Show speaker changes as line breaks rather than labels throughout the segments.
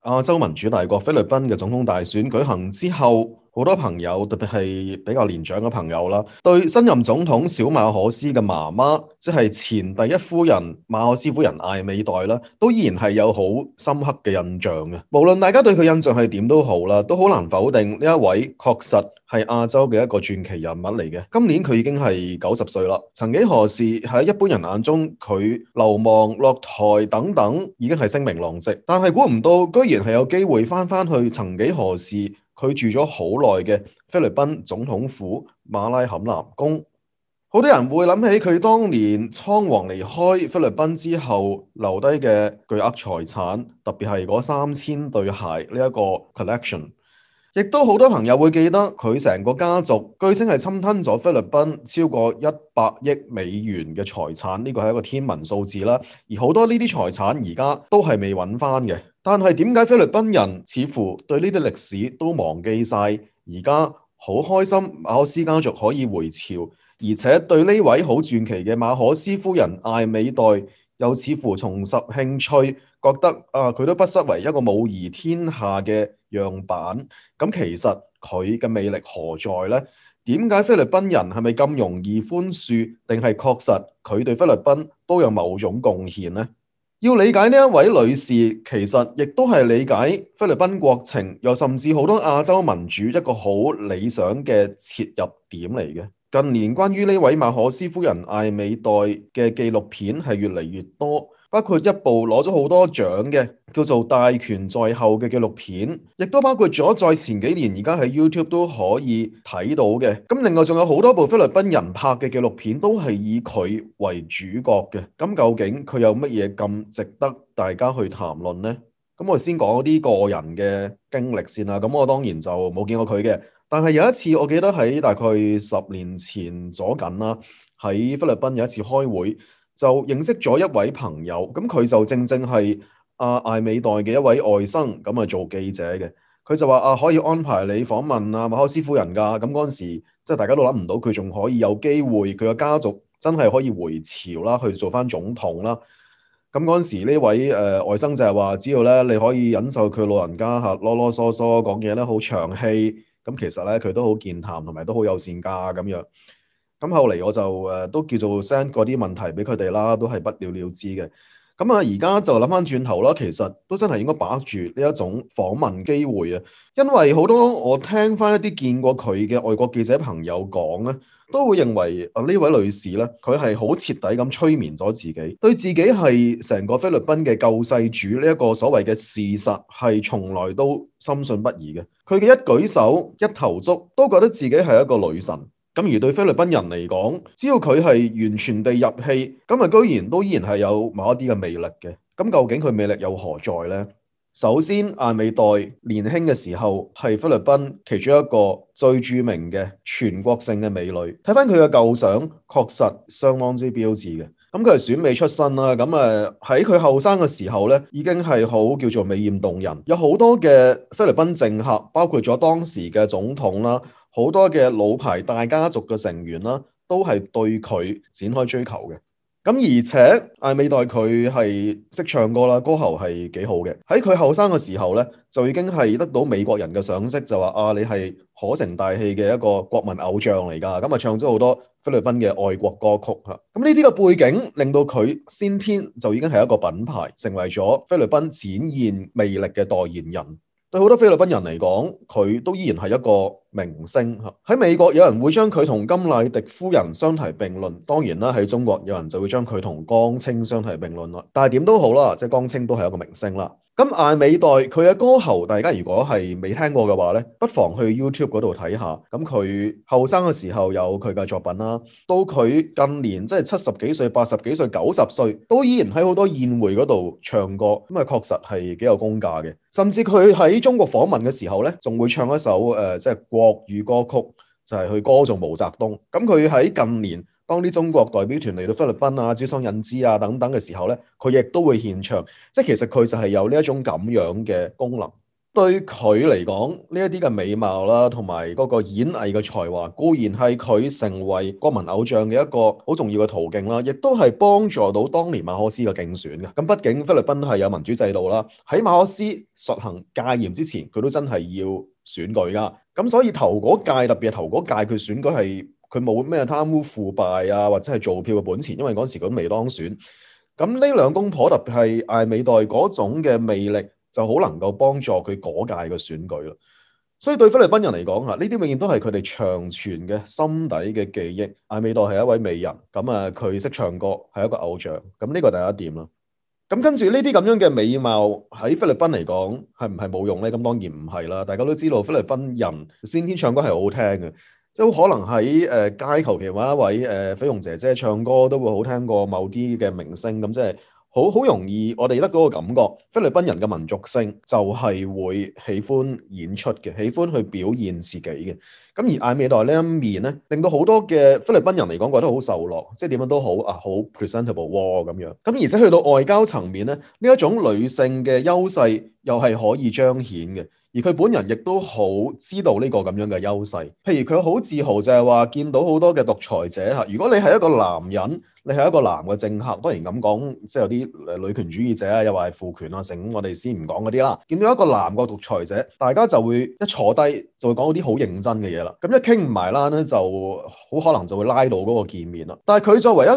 亞洲民主大國菲律賓嘅總統大選舉行之後，好多朋友，特別係比較年長嘅朋友啦，對新任總統小馬可斯嘅媽媽，即係前第一夫人馬可斯夫人艾美代啦，都依然係有好深刻嘅印象嘅。無論大家對佢印象係點都好啦，都好難否定呢一位確實係亞洲嘅一個傳奇人物嚟嘅。今年佢已經係90歲啦。曾幾何時喺一般人眼中，佢流亡落台等等已經係聲名狼藉，但係估唔到居然係有機會翻去曾幾何時佢住咗好耐嘅菲律賓總統府馬拉坎南宮。好多人會諗起佢當年倉皇離開菲律賓之後留低嘅巨額財產，特別係嗰3000對鞋呢一個 collection。亦都好多朋友會記得佢成個家族據稱係侵吞咗菲律賓超過100億美元嘅財產，呢個係一個天文數字啦。而好多呢啲財產而家都係未揾翻嘅。但係點解菲律賓人似乎對呢啲歷史都忘記晒？而家好開心馬可斯家族可以回朝，而且對呢位好傳奇嘅馬可斯夫人艾美代又似乎重拾興趣，覺得佢都不失為一個母儀天下嘅樣板。咁其實佢嘅魅力何在呢？點解菲律賓人係咪咁容易寬恕，定係確實佢對菲律賓都有某種貢獻呢？要理解呢一位女士，其實亦都係理解菲律賓國情，又甚至好多亞洲民主一個好理想嘅切入點嚟嘅。近年關於呢位馬可斯夫人艾美代嘅紀錄片係越嚟越多，包括一部攞咗好多獎嘅叫做《大權在後》嘅紀錄片，亦都包括咗在前幾年而家喺 YouTube 都可以睇到嘅。咁另外仲有好多部菲律賓人拍嘅紀錄片都係以佢為主角嘅。咁究竟佢有乜嘢咁值得大家去談論呢？咁我先講啲個人嘅經歷先啦。咁我當然就冇見過佢嘅。但係有一次，我記得喺大概10年前左近啦，喺菲律賓有一次開會，就認識咗一位朋友。咁佢就正正係艾美代嘅一位外甥，咁啊做記者嘅。佢就話可以安排你訪問馬可斯夫人㗎。咁嗰陣時，即係大家都諗唔到佢仲可以有機會，佢嘅家族真係可以回朝啦，去做翻總統啦。咁嗰陣時呢位外甥就係話，只要咧你可以忍受佢老人家囉囉嗦嗦講嘢咧好長氣。咁其實咧佢都好健談，同埋都好友善㗎咁樣。咁後嚟我就都叫做 send 嗰啲問題俾佢哋啦，都係不了了之嘅。咁而家就諗翻轉頭啦，其實都真係應該把握住呢一種訪問機會啊，因為好多我聽翻一啲見過佢嘅外國記者朋友講咧，都會認為呢位女士咧，佢係好徹底咁催眠咗自己，對自己係成個菲律賓嘅救世主呢一個所謂嘅事實係從來都深信不疑嘅。佢嘅一舉手一投足都覺得自己係一個女神。咁而對菲律賓人嚟講，只要佢係完全地入戲，咁居然都依然係有某一啲嘅魅力嘅。咁究竟佢魅力又何在呢？首先，艾美代年輕嘅時候係菲律賓其中一個最著名嘅全國性嘅美女。睇翻佢嘅舊相，確實相當之標緻嘅。咁佢係選美出身啦。咁喺佢後生嘅時候咧，已經係好叫做美豔動人。有好多嘅菲律賓政客，包括咗當時嘅總統啦。好多嘅老牌大家族嘅成員啦，都係對佢展開追求嘅。咁而且艾美代佢係識唱歌啦，歌喉係幾好嘅。喺佢後生嘅時候咧，就已經係得到美國人嘅賞識，就話你係可成大器嘅一個國民偶像嚟㗎。咁唱咗好多菲律賓嘅愛國歌曲嚇。咁呢啲嘅背景令到佢先天就已經係一個品牌，成為咗菲律賓展現魅力嘅代言人。對好多菲律賓人嚟講，佢都依然係一個明星。喺美國有人會將佢同甘迺迪夫人相提並論，當然啦，喺中國有人就會將佢同江青相提並論啦。但係點都好啦，即係江青都係一個明星啦。咁艾美代佢嘅歌喉，大家如果係未聽過嘅話咧，不妨去 YouTube 嗰度睇下。咁佢後生嘅時候有佢嘅作品啦，到佢近年即係70幾歲、80幾歲、90歲，都依然喺好多宴會嗰度唱歌。咁確實係幾有功架嘅。甚至佢喺中國訪問嘅時候咧，仲會唱一首即係國語歌曲，就係去歌頌毛澤東。咁佢喺近年，當啲中國代表團嚟到菲律賓啊、招商引資啊等等嘅時候咧，佢亦都會獻唱，即係其實佢就係有呢一種咁樣嘅功能。對佢嚟講，呢一啲嘅美貌啦，同埋嗰個演藝嘅才華，固然係佢成為國民偶像嘅一個好重要嘅途徑啦，亦都係幫助到當年馬可斯嘅競選嘅。咁畢竟菲律賓係有民主制度啦，喺馬可斯實行戒嚴之前，佢都真係要選舉噶。咁所以頭嗰屆，特別係頭嗰屆，佢選舉係佢冇咩貪污腐敗啊，或者係做票嘅本錢，因為嗰時佢都未當選。咁呢兩公婆特別係艾美代嗰種嘅魅力，就好能夠幫助佢嗰屆嘅選舉啦。所以對菲律賓人嚟講呢啲永遠都係佢哋長存嘅心底嘅記憶。艾美代係一位美人，咁佢識唱歌，係一個偶像。咁呢個第一點啦。咁跟住呢啲咁樣嘅美貌喺菲律賓嚟講係唔係冇用呢？咁當然唔係啦。大家都知道菲律賓人先天唱歌係好好聽嘅，即係好可能喺街求其揾一位菲傭姐姐唱歌都會好聽過某啲嘅明星。咁即係好容易我哋得嗰個感覺，菲律賓人嘅民族性就係會喜歡演出嘅，喜歡去表現自己嘅。咁而艾美代呢一面咧，令到好多嘅菲律賓人嚟講覺得好受落，即係點樣都好好 presentable 咁樣。咁而且去到外交層面咧，呢一種女性嘅優勢又係可以彰顯嘅。而佢本人亦都好知道呢個咁樣嘅優勢，譬如佢好自豪就係話見到好多嘅獨裁者嚇，如果你係一個男人，你係一個男嘅政客，當然咁講，即係有啲女權主義者啊，又話係父權啊，成我哋先唔講嗰啲啦。見到一個男嘅獨裁者，大家就會一坐低就會講啲好認真嘅嘢啦。咁一傾唔埋啦咧，就好可能就會拉到嗰個見面啦。但係佢作為一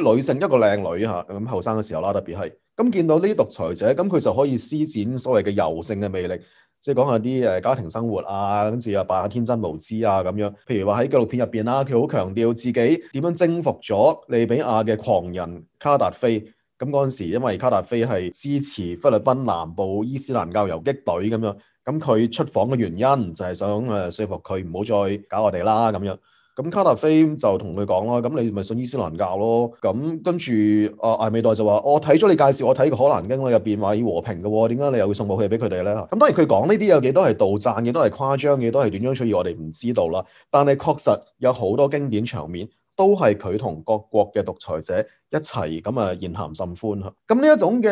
位女性，一個靚女嚇，咁後生嘅時候啦，特別係咁見到呢啲獨裁者，咁佢就可以施展所謂嘅柔性嘅魅力。即係講下啲家庭生活啊，跟住又扮下天真無知啊咁樣。譬如話喺紀錄片入邊啦，佢好強調自己點樣征服咗利比亞嘅狂人卡達菲。咁嗰陣時，因為卡達菲係支持菲律賓南部伊斯蘭教游擊隊咁樣，咁佢出訪嘅原因就係想說服佢唔好再搞我哋啦咁樣。咁卡達菲就同佢講啦，咁你咪信伊斯蘭教咯。咁跟住艾美代就話：我睇咗你介紹，我睇個可蘭經入邊話要和平嘅喎，點解你又會送武器俾佢哋咧？咁當然佢講呢啲有幾多係杜撰，幾多係誇張，幾多係斷章取義，我哋唔知道啦。但係確實有好多經典場面，都係佢同各國嘅獨裁者一齊咁言談甚歡。咁呢一種嘅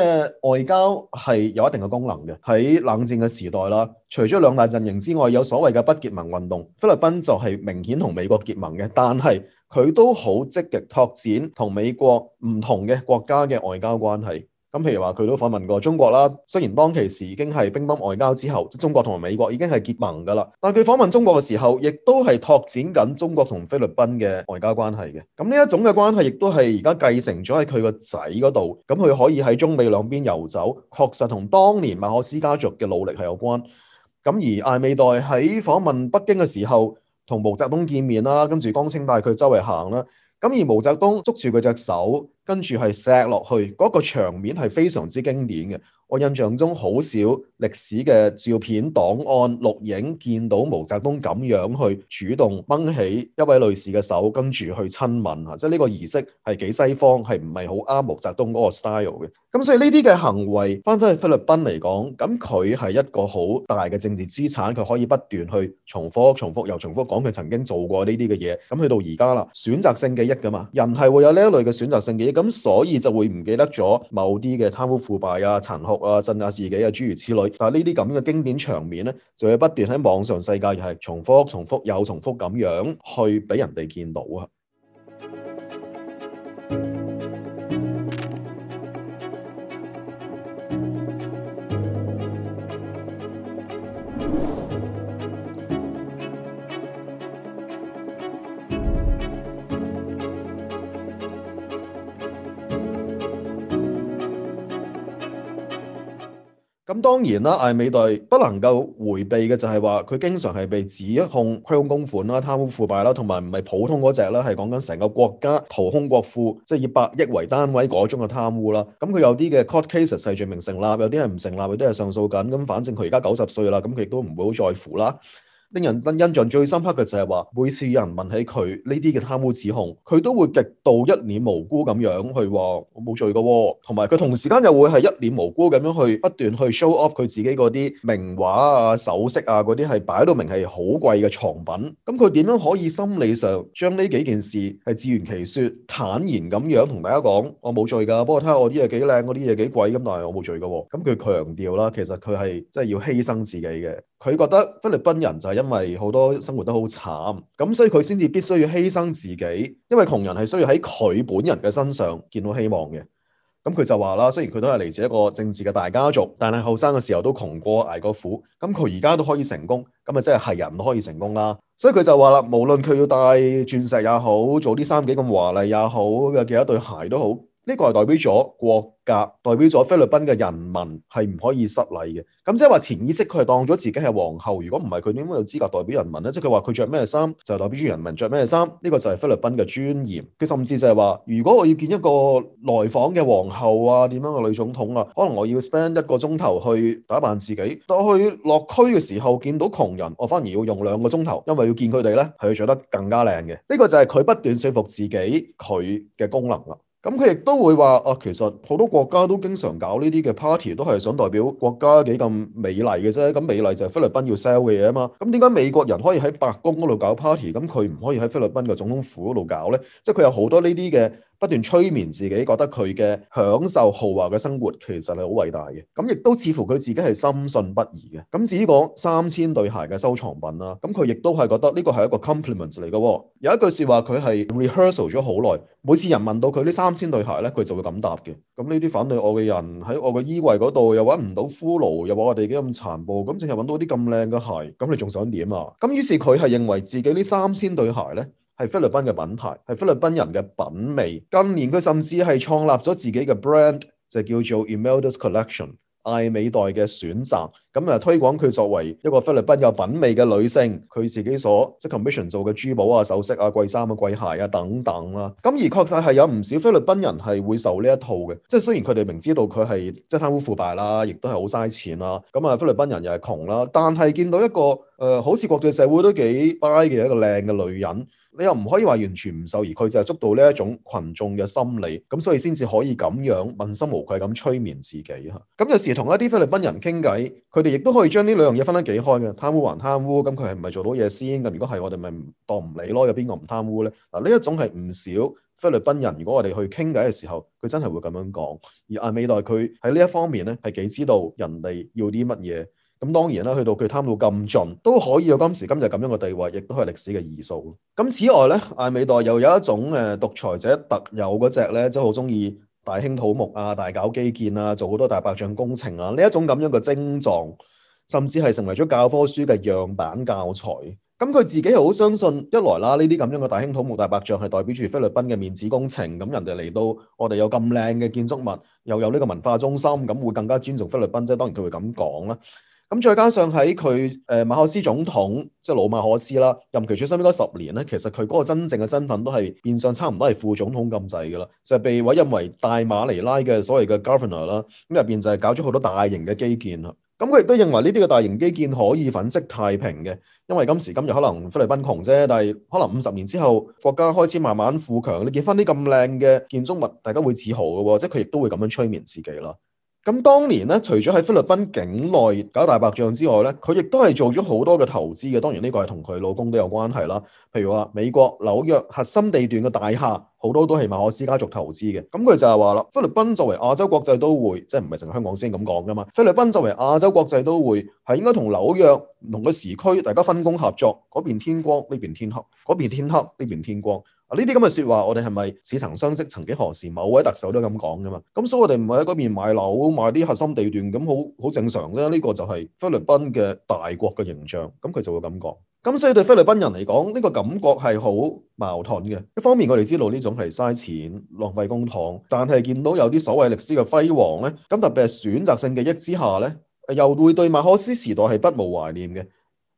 外交係有一定嘅功能嘅。喺冷戰嘅時代啦，除咗兩大陣營之外，有所謂嘅不結盟運動，菲律賓就係明顯同美國結盟嘅，但係佢都好積極拓展同美國唔同嘅國家嘅外交關係。咁譬如話佢都訪問過中國啦，雖然當其時已經係乒乓外交之後，中國同埋美國已經係結盟噶啦，但係佢訪問中國嘅時候，亦都係拓展緊中國同菲律賓嘅外交關係嘅。咁呢一種嘅關係，亦都係而家繼承咗喺佢個仔嗰度，咁佢可以喺中美兩邊遊走，確實同當年馬可斯家族嘅努力係有關。咁而艾美代喺訪問北京嘅時候，同毛澤東見面啦，跟住江青帶佢周圍行啦。咁而毛澤東捉住佢隻手，跟住係錫落去，嗰個場面係非常之經典嘅。我印象中好少歷史嘅照片檔案錄影見到毛澤東咁樣去主動掹起一位女士嘅手，跟住去親吻啊！即係呢個儀式係幾西方，係唔係好啱毛澤東嗰個 style 嘅？咁所以呢啲嘅行為翻返去菲律賓嚟講，咁佢係一個好大嘅政治資產，佢可以不斷去重複又重複講佢曾經做過呢啲嘅嘢。咁去到而家啦，選擇性記憶噶嘛，人係會有呢一類嘅選擇性記憶，咁所以就會唔記得咗某啲嘅貪污腐敗啊、殘酷啊、鎮壓自己啊諸如此類。但係呢啲咁嘅經典場面咧，就會不斷喺網上世界又係重複又重複咁樣去俾人哋見到啊。咁當然啦，艾美代不能夠迴避嘅就係話佢經常係被指控虧空公款啦、貪污腐敗啦，同埋唔係普通嗰隻啦，係講緊成個國家掏空國庫，即係以百億為單位嗰種嘅貪污啦。咁佢有啲嘅 court cases 係罪名成立，有啲係唔成立，有啲係上訴緊。咁反正佢而家90歲啦，咁佢亦都唔會好在乎啦。令人印象最深刻嘅就係話，每次有人問起佢呢啲嘅貪污指控，佢都會極度一臉無辜咁樣去話我冇罪㗎喎，同埋佢同時間又會係一臉無辜咁樣去不斷去 show off 佢自己嗰啲名畫啊、首飾啊嗰啲係擺到明係好貴嘅藏品。咁佢點樣可以心理上將呢幾件事係自圓其說、坦然咁樣同大家講我冇罪㗎，不過睇下我啲嘢幾靚，我啲嘢幾貴咁，但係我冇罪㗎喎。咁佢強調啦，其實佢係真係要犧牲自己嘅。佢覺得菲律賓人就係因為好多生活得好慘，咁所以佢先至必須要犧牲自己，因為窮人係需要喺佢本人嘅身上見到希望嘅。咁佢就話啦，雖然佢都係嚟自一個政治嘅大家族，但係後生嘅時候都窮過捱過苦，咁佢而家都可以成功，咁啊即係人都可以成功啦。所以佢就話啦，無論佢要戴鑽石也好，做啲衫幾咁華麗也好，嘅幾多對鞋都好，呢個係代表咗國格，代表咗菲律賓嘅人民係唔可以失禮嘅。咁即係話潛意識佢係當咗自己係皇後，如果唔係佢點會有資格代表人民呢？即係佢話佢着咩衫就代表住人民着咩衫，呢個就係菲律賓嘅尊嚴。佢甚至就係話，如果我要見一個來訪嘅皇后啊，點樣嘅女總統啊，可能我要 spend 1個鐘頭去打扮自己，但我去落區嘅時候見到窮人，我反而要用2個鐘頭，因為要見佢哋呢係要着得更加靚嘅。呢個就係佢不斷說服自己佢嘅功能啦。咁佢亦都會話其實好多國家都經常搞呢啲嘅 party， 都係想代表國家幾咁美麗嘅啫。咁美麗就係菲律賓要 sell 嘅嘢啊嘛。咁點解美國人可以喺白宮嗰度搞 party，咁佢唔可以喺菲律賓嘅總統府嗰度搞呢？即係佢有好多呢啲嘅不斷催眠自己，覺得佢嘅享受豪華嘅生活其實係好偉大嘅。咁亦都似乎佢自己係深信不疑嘅。咁至於講3000對鞋嘅收藏品啦，咁佢亦都係覺得呢個係一個 compliment 嚟嘅喎。有一句説話佢係 rehearsal 咗好耐，每次人問到佢呢3000對鞋咧，佢就會咁答嘅。咁呢啲反對我嘅人喺我嘅衣櫃嗰度又揾唔到骷髏，又話我哋幾咁殘暴，咁淨係揾到啲咁靚嘅鞋，咁你仲想點啊？咁於是佢係認為自己呢3000對鞋咧，係菲律賓嘅品牌，係菲律賓人嘅品味。近年佢甚至係創立咗自己嘅 brand，就叫做 Imelda's Collection， 艾美代嘅選擇。咁推廣佢作為一個菲律賓有品味嘅女性，佢自己所即 commission 做嘅珠寶啊、首飾啊、貴衫啊、貴鞋啊等等啦。咁而確實係有唔少菲律賓人係會受呢一套嘅，即係雖然佢哋明知道佢係即係貪污腐敗啦，亦都係好嘥錢啦。咁菲律賓人又係窮啦，但係見到一個好似國際社會都幾 buy 嘅一個靚嘅女人，你又唔可以話完全唔受，而佢就係捉到呢一種群眾嘅心理，咁所以先至可以咁樣問心無愧咁催眠自己嚇。咁有時同一啲菲律賓人傾偈，佢哋亦都可以將呢兩樣嘢分得幾開嘅，貪污還貪污，咁佢係唔係做到嘢先？咁如果係，我哋咪當唔理咯。有邊個唔貪污呢？嗱，呢一種係唔少菲律賓人，如果我哋去傾偈嘅時候，佢真係會咁樣講。而艾美代佢喺呢一方面咧，係幾知道人哋要啲乜嘢。咁當然啦，去到佢貪到咁盡，都可以有今時今日咁樣嘅地位，亦都係歷史嘅異數。咁此外咧，艾美代又有一種獨裁者特有嗰隻咧，即係好中意大興土木啊、大搞基建啊、做好多大白象工程啊，呢一種咁樣嘅症狀，甚至係成為咗教科書嘅樣板教材。咁佢自己係好相信，一來啦，呢啲咁樣嘅大興土木、大白象係代表住菲律賓嘅面子工程。咁人哋嚟到，我哋有咁靚嘅建築物，又有呢個文化中心，咁會更加尊重菲律賓啫。當然佢會咁講啦。咁再加上喺佢馬可斯總統，即係老馬可斯啦，任期最深應該10年咧，其實佢嗰個真正嘅身份都係變相差唔多係副總統咁滯㗎啦，就係被委任為大馬尼拉嘅所謂嘅 governor 啦。咁入邊就係搞咗好多大型嘅基建啦。咁佢亦都認為呢啲嘅大型基建可以粉飾太平嘅，因為今時今日可能菲律賓窮啫，但係可能50年之後國家開始慢慢富強，你見翻啲咁靚嘅建築物，大家會自豪嘅喎，即係佢亦都會咁樣催眠自己啦。咁當年咧，除咗喺菲律賓境內搞大白象之外咧，佢亦都係做咗好多嘅投資嘅。當然呢個係同佢老公都有關係啦。譬如話美國紐約核心地段嘅大廈，好多都係馬可斯家族投資嘅。咁佢就係話啦，菲律賓作為亞洲國際都會，即係唔係成日香港先咁講噶嘛？菲律賓作為亞洲國際都會，係應該同紐約唔同嘅時區，大家分工合作，嗰邊天光，呢邊天黑；嗰邊天黑，呢邊天光。呢啲咁嘅説話，我哋係咪似曾相識？曾幾何時，某位特首都咁講噶嘛？咁所以我哋唔係喺嗰邊買樓買啲核心地段，咁好正常啫。呢個就係菲律賓嘅大國嘅形象，咁佢就會咁講。咁所以對菲律賓人嚟講，呢個感覺係好矛盾嘅。一方面我哋知道呢種係嘥錢浪費公帑，但係見到有啲所謂歷史嘅輝煌咧，咁特別係選擇性記憶之下咧，又會對馬可斯時代係不無懷念嘅。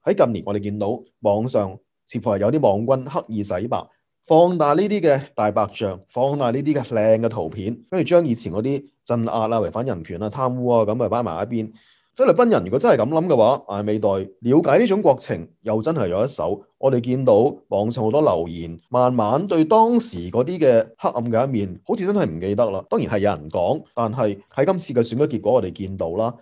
喺近年我哋見到網上似乎係有啲網軍刻意洗白，放大呢啲嘅大白象，放大呢啲嘅靚嘅圖片，跟住將以前嗰啲鎮壓啊、違反人權啊、貪污啊咁擺埋一邊。菲律賓人如果真係咁諗嘅話，艾美代了解呢種國情又真係有一手。我哋見到網上好多留言，慢慢對當時嗰啲嘅黑暗嘅一面，好似真係唔記得啦。當然係有人講，但係喺今次嘅選舉結果，我哋見到啦，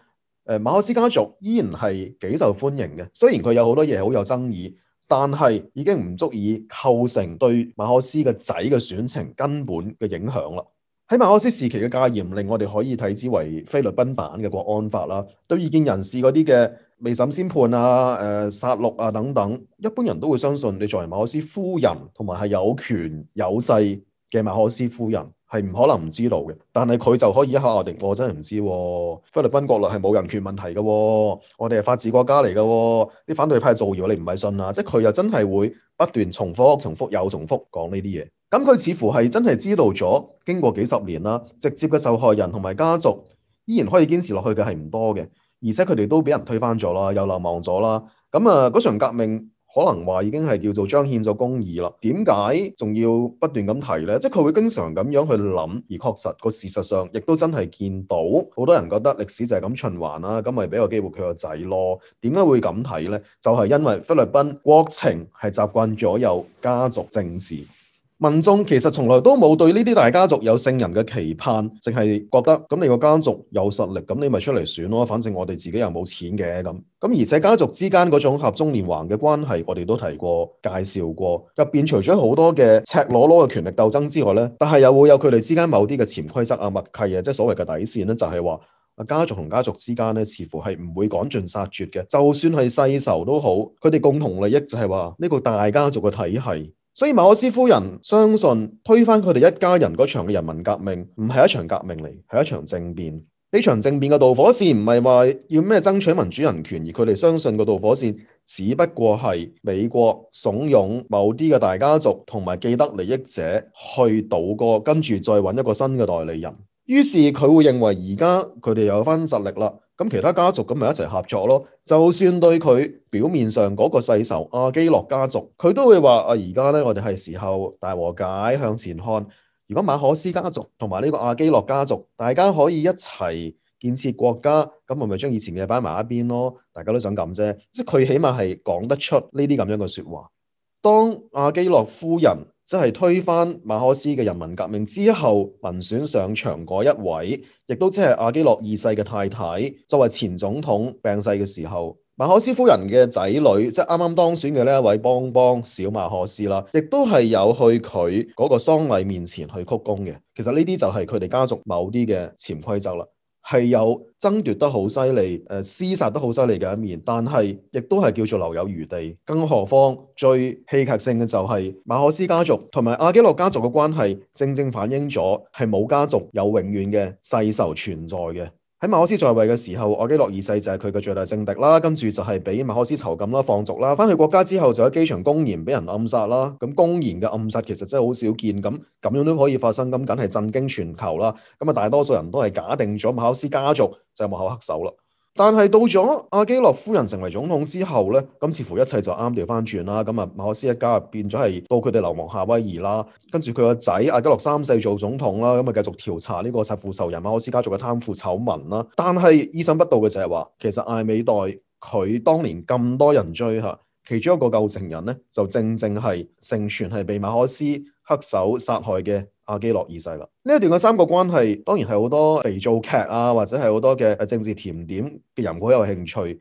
馬可斯家族依然係幾受歡迎嘅。雖然佢有好多嘢好有爭議，但係已經唔足以構成對馬可斯嘅仔嘅選情根本嘅影響啦。喺馬可斯時期嘅戒嚴令，我哋可以睇之為菲律賓版嘅國安法啦。對異見人士嗰啲嘅未審先判啊、殺戮啊等等，一般人都會相信你作為馬可斯夫人同埋係有權有勢嘅馬可斯夫人係唔可能唔知道嘅。但係佢就可以一口咬定我真係唔知喎。菲律賓國內係冇人權問題嘅喎，我哋係法治國家嚟嘅喎。啲反對派造謠，你唔係信啊？即係佢又真係會不斷重複又重複講呢啲嘢。咁佢似乎係真係知道咗，經過幾十年啦，直接嘅受害人同埋家族依然可以堅持落去嘅係唔多嘅，而且佢哋都俾人推翻咗啦，又流亡咗啦。咁嗰場革命可能話已經係叫做彰顯咗公義啦。點解仲要不斷咁提呢？即係佢會經常咁樣去諗，而確實個事實上亦都真係見到好多人覺得歷史就係咁循環啦，咁咪俾個機會佢個仔咯。點解會咁睇呢？就係因為菲律賓國情係習慣咗有家族政治。民眾其實從來都冇對呢啲大家族有聖人嘅期盼，淨係覺得咁你個家族有實力，咁你咪出嚟選咯，反正我哋自己又冇錢嘅咁。而且家族之間嗰種合縱連橫嘅關係，我哋都提過介紹過，入邊除咗好多嘅赤裸裸嘅權力鬥爭之外呢，但係又會有佢哋之間某啲嘅潛規則啊、默契啊，即係所謂嘅底線呢，就係話家族同家族之間呢，似乎係唔會趕盡殺絕嘅，就算係世仇都好，佢哋共同利益就係話呢個大家族嘅體系。所以馬可斯夫人相信推翻佢哋一家人嗰場嘅人民革命唔係一場革命嚟，係一場政變。呢場政變嘅導火線唔係話要咩爭取民主人權，而佢哋相信個導火線只不過係美國慫恿某啲嘅大家族同埋既得利益者去倒戈，跟住再揾一個新嘅代理人。於是佢會認為而家佢哋有翻實力啦，咁其他家族咁咪一齊合作咯。就算對佢表面上嗰個世仇阿基諾家族，佢都會話而家呢，我哋係時候大和解，向前看。如果馬可斯家族同埋呢個阿基諾家族，大家可以一齊建設國家，咁我咪將以前嘅擺埋一邊咯。大家都想咁啫，即係佢起碼係講得出呢啲咁樣嘅說話。當阿基諾夫人即係推翻馬可斯嘅人民革命之後，民選上場嗰一位，亦都即係阿基諾二世嘅太太，作為前總統病逝嘅時候，馬可斯夫人嘅仔女，即係啱啱當選嘅呢一位邦邦小馬可斯啦，亦都係有去佢嗰個喪禮面前去鞠躬嘅。其實呢啲就係佢哋家族某啲嘅潛規則啦。係有爭奪得好犀利，廝殺得好犀利嘅一面，但係亦都係叫做留有餘地。更何況最戲劇性嘅就係馬可斯家族同埋阿基諾家族嘅關係，正正反映咗係冇家族有永遠嘅世仇存在嘅。喺馬可斯在位嘅時候，阿基諾二世就係佢嘅最大政敵啦，跟住就係俾馬可斯囚禁啦、放逐啦，翻去國家之後就喺機場公然俾人暗殺啦。咁公然嘅暗殺其實真係好少見，咁樣都可以發生，咁梗係震驚全球啦。大多數人都係假定咗馬可斯家族就係幕後黑手啦。但係到咗阿基諾夫人成為總統之後呢，咁似乎一切就啱調翻轉啦。馬可斯一家變咗係到佢哋流亡夏威夷啦，跟住佢個仔阿基諾三世做總統啦，繼續調查呢個殺父仇人馬可斯家族嘅貪腐醜聞啦。但係意想不到嘅就係話，其實艾美代佢當年咁多人追吓，其中一個構成人呢，就正正係盛傳係被馬可斯黑手殺害嘅阿基諾二世啦。呢一段嘅三個關係當然係好多肥皂劇啊，或者係好多嘅政治甜點嘅人會好有興趣，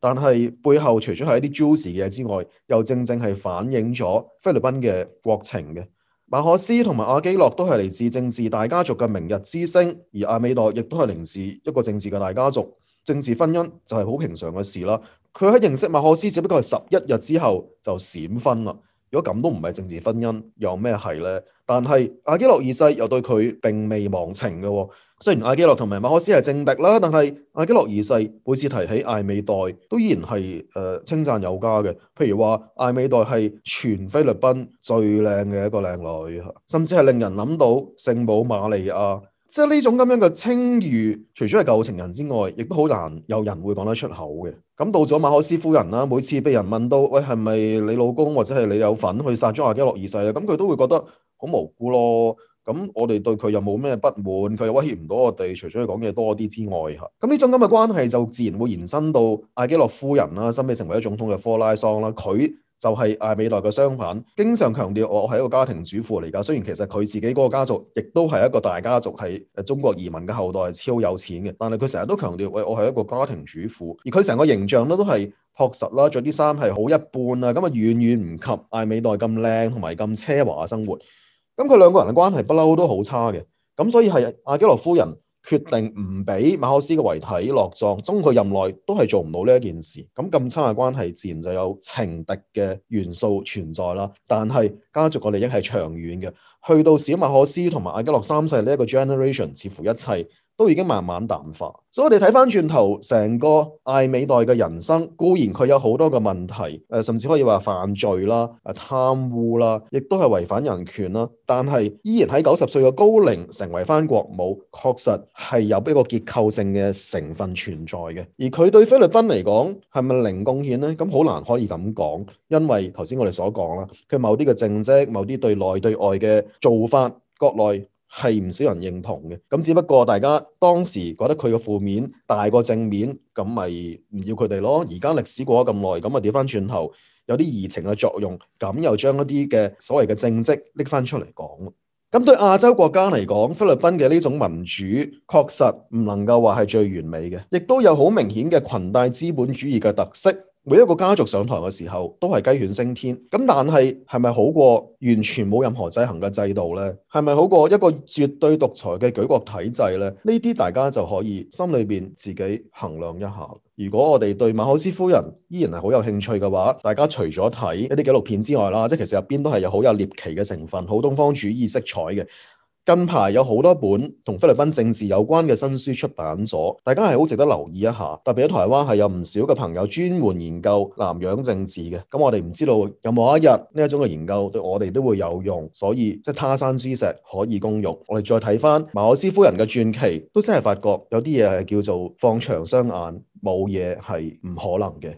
但係背後除咗係一啲 juicy 嘅嘢之外，又正正係反映咗菲律賓嘅國情嘅。馬可斯同埋阿基諾都係嚟自政治大家族嘅明日之星，而艾美代亦都係嚟自一個政治嘅大家族。政治婚姻就係好平常嘅事啦。佢喺認識馬可斯只不過係11日之後就閃婚啦。如果咁都唔係政治婚姻，又咩係呢？但係阿基諾二世又對佢並未忘情嘅喎。雖然阿基諾同埋馬可斯係政敵啦，但係阿基諾二世每次提起艾美代，都依然係稱讚有加嘅。譬如話艾美代係全菲律賓最靚嘅一個靚女，甚至係令人諗到聖母瑪利亞。即係呢種咁樣嘅稱譽，除咗係舊情人之外，亦都好難有人會講得出口嘅。咁到咗馬可斯夫人啦，每次被人問到，喂，係咪你老公或者係你有份去殺咗阿基諾二世啊？咁佢都會覺得好無辜咯。咁我哋對佢又冇咩不滿，佢又威脅唔到我哋，除咗佢講嘢多啲之外嚇。咁呢種咁嘅關係就自然會延伸到艾基諾夫人啦，新美成為咗總統嘅科拉桑啦，佢就係艾美代嘅相反，經常強調我係一個家庭主婦嚟㗎。雖然其實佢自己嗰個家族亦都係一個大家族，係中國移民嘅後代，係超有錢嘅，但係佢成日都強調，喂，我係一個家庭主婦，而佢成個形象咧都係樸實啦，着啲衫係好一般啊，咁啊遠遠唔及艾美代咁靚同埋咁奢華嘅生活。咁佢兩個人嘅關係不嬲都好差嘅，咁所以係阿基諾夫人決定唔俾馬可斯嘅遺體落葬，終佢任內都係做唔到呢一件事。咁差嘅關係自然就有情敵嘅元素存在啦。但係家族嘅利益係長遠嘅，去到小馬可斯同埋阿基諾三世呢一個 generation，似乎一切都已經慢慢淡化。所以我哋睇翻轉頭，成個艾美代嘅人生固然佢有好多嘅問題，甚至可以話犯罪啦、貪污啦，亦都係違反人權啦。但係依然喺90歲嘅高齡成為翻國母，確實係有一個結構性嘅成分存在嘅。而佢對菲律賓嚟講係咪零貢獻呢？咁好難可以咁講，因為頭先我哋所講啦，佢某啲嘅政績、某啲對內對外嘅做法，國內係唔少人認同嘅。咁只不過大家當時覺得佢嘅負面大過正面，咁咪唔要佢哋咯。而家歷史過咗咁耐，咁啊調翻轉頭有啲移情嘅作用，咁又將一啲嘅所謂嘅政績拎翻出嚟講。咁對亞洲國家嚟講，菲律賓嘅呢種民主確實唔能夠話係最完美嘅，亦都有好明顯嘅裙帶資本主義嘅特色。每一個家族上台嘅時候都係雞犬升天，咁但係咪好過完全冇任何制衡嘅制度呢？係咪好過一個絕對獨裁嘅舉國體制呢？呢啲大家就可以心裏邊自己衡量一下。如果我哋對馬可斯夫人依然係好有興趣嘅話，大家除咗睇一啲紀錄片之外啦，即係其實入邊都係有好有獵奇嘅成分，好東方主義色彩嘅。近排有好多本同菲律賓政治有關嘅新書出版咗，大家係好值得留意一下。特別喺台灣係有唔少嘅朋友專門研究南洋政治嘅，咁我哋唔知道有冇一日呢一種嘅研究對我哋都會有用，所以即係他山之石可以攻玉。我哋再睇翻馬可斯夫人嘅傳奇，都真係發覺有啲嘢係叫做放長雙眼，冇嘢係唔可能嘅。